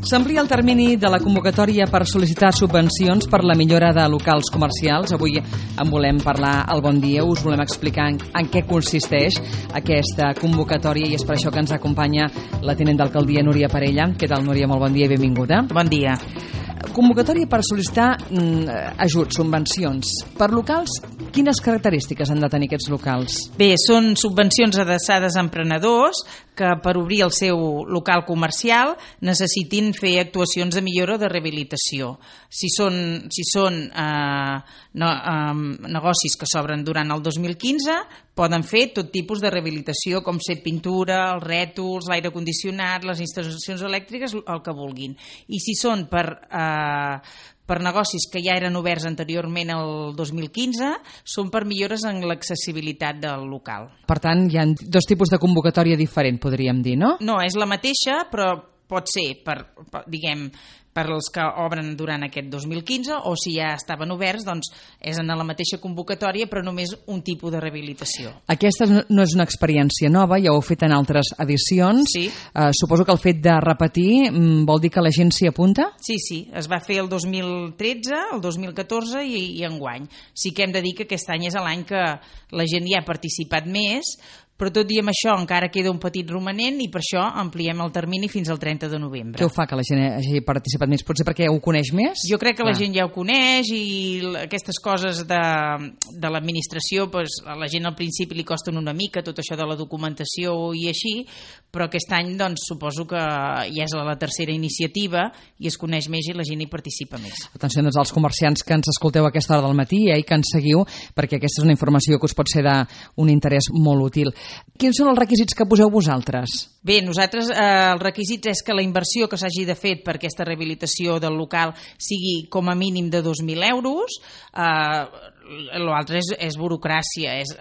S'amplia el termini de la convocatòria per sol·licitar subvencions per la millora de locals comercials. Avui en volem parlar al Bon Dia. Us volem explicar en què consisteix aquesta convocatòria i és per això que ens acompanya la tinent d'alcaldia Núria Parella. Què tal, Núria? Molt bon dia i benvinguda. Bon dia. Convocatòria per sol·licitar ajuts, subvencions. Per locals, quines característiques han de tenir aquests locals? Bé, són subvencions adreçades a emprenedors que per obrir el seu local comercial necessitin fer actuacions de millora o de rehabilitació. Si són negocis que s'obren durant el 2015, poden fer tot tipus de rehabilitació, com ser pintura, els rètols, l'aire condicionat, les instal·lacions elèctriques, el que vulguin. I si són per negocis que ja eren oberts anteriorment al 2015, són per millores en l'accessibilitat del local. Per tant, hi ha dos tipus de convocatòria diferent, podríem dir, no? No, és la mateixa, però pot ser per als que obren durant aquest 2015 o si ja estaven oberts, doncs és en la mateixa convocatòria però només un tipus de rehabilitació. Aquesta no és una experiència nova, ja ho heu fet en altres edicions. Sí. Suposo que el fet de repetir vol dir que la gent s'hi apunta? Sí, es va fer el 2013, el 2014 i enguany. Sí que hem de dir que aquest any és l'any que la gent hi ha participat més, però tot i amb això encara queda un petit romanent i per això ampliem el termini fins al 30 de novembre. Què ho fa que la gent hagi participat més? Potser perquè ho coneix més? Jo crec que la gent ja ho coneix i aquestes coses de l'administració, a la gent al principi li costen una mica tot això de la documentació i així, però aquest any doncs, suposo que ja és la tercera iniciativa i es coneix més i la gent hi participa més. Atenció doncs, als comerciants que ens escolteu a aquesta hora del matí i que ens seguiu, perquè aquesta és una informació que us pot ser d'un interès molt útil. Quins són els requisits que poseu vosaltres? Bé, nosaltres els requisits és que la inversió que s'hagi de fer per aquesta rehabilitació del local sigui com a mínim de 2.000 euros. L'altre és burocràcia, és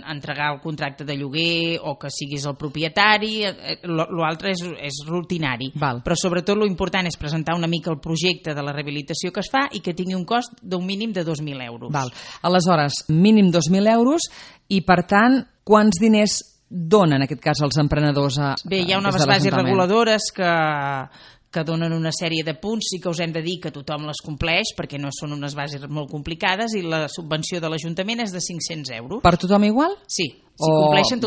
entregar el contracte de lloguer o que siguis el propietari. L'altre és rutinari. Val. Però sobretot l'important és presentar una mica el projecte de la rehabilitació que es fa i que tingui un cost d'un mínim de 2.000 euros. Val. Aleshores, mínim 2.000 euros i, per tant, quants diners donen, en aquest cas, els emprenedors Bé, hi ha unes bases reguladores que donen una sèrie de punts, sí que us hem de dir que tothom les compleix perquè no són unes bases molt complicades i la subvenció de l'Ajuntament és de 500 euros. Per tothom igual? Sí, si compleixen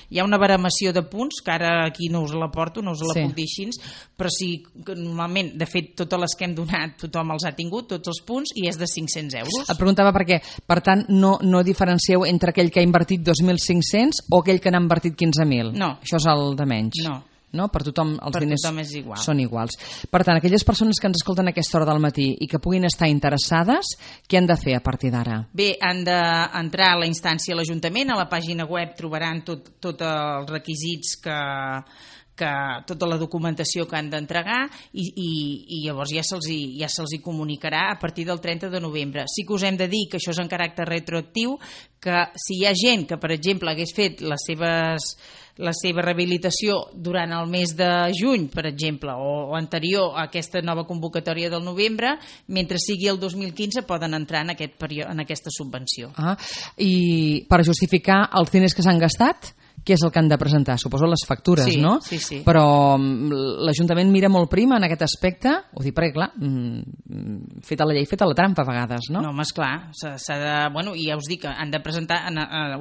hi ha una baremació de punts, que ara aquí no us la porto, no us la puc dir així, però sí, normalment, de fet, totes les que hem donat tothom els ha tingut, tots els punts, i és de 500 euros. Et preguntava perquè, per tant, no diferencieu entre aquell que ha invertit 2.500 o aquell que n'ha invertit 15.000? No. Això és el de menys? No? Per tothom els diners són iguals. Per tant, aquelles persones que ens escolten a aquesta hora del matí i que puguin estar interessades, què han de fer a partir d'ara? Bé, han d'entrar a la instància a l'Ajuntament, a la pàgina web trobaran tots els requisits tota la documentació que han d'entregar i llavors ja se'ls comunicarà a partir del 30 de novembre. Sí que us hem de dir que això és en caràcter retroactiu, que si hi ha gent que, per exemple, hagués fet la seva rehabilitació durant el mes de juny, per exemple, o anterior a aquesta nova convocatòria del novembre, mentre sigui el 2015 poden entrar en aquesta subvenció. I per justificar els diners que s'han gastat, què és el que han de presentar? Suposo les factures, no? Sí. Però l'Ajuntament mira molt prim en aquest aspecte? Ho dic perquè, clar, feta la llei, feta la trampa a vegades, no? No, home, esclar, i ja us dic que han de presentar,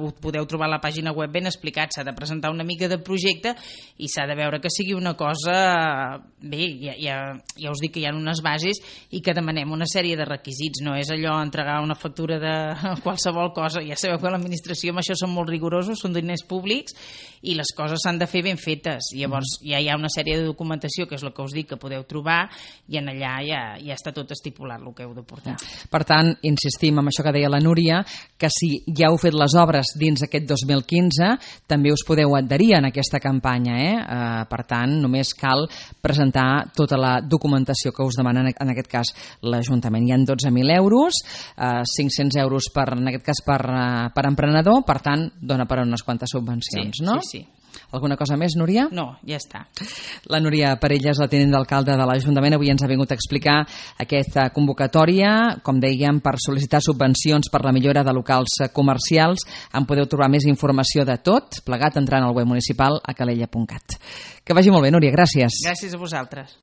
ho podeu trobar a la pàgina web ben explicat, s'ha de presentar una mica de projecte i s'ha de veure que sigui una cosa... Bé, ja us dic que hi ha unes bases i que demanem una sèrie de requisits, no és allò entregar una factura de qualsevol cosa. Ja sabeu que l'administració amb això són molt rigorosos, són diners públics i les coses s'han de fer ben fetes. Llavors ja hi ha una sèrie de documentació, que és el que us dic, que podeu trobar i en allà ja està tot estipulat el que heu de portar. Per tant, insistim en això que deia la Núria, que si ja heu fet les obres dins aquest 2015, també us podeu adherir en aquesta campanya. Per tant, només cal presentar tota la documentació que us demana en aquest cas l'Ajuntament. Hi ha 12.000 euros, 500 euros en aquest cas per emprenedor, per tant, dona per a unes quantes subvencions. No? Sí. Alguna cosa més, Núria? No, ja està. La Núria Parella és la tinent d'alcalde de l'Ajuntament. Avui ens ha vingut a explicar aquesta convocatòria, com dèiem, per sol·licitar subvencions per la millora de locals comercials. En podeu trobar més informació de tot, plegat entrant al web municipal a calella.cat. Que vagi molt bé, Núria, gràcies. Gràcies a vosaltres.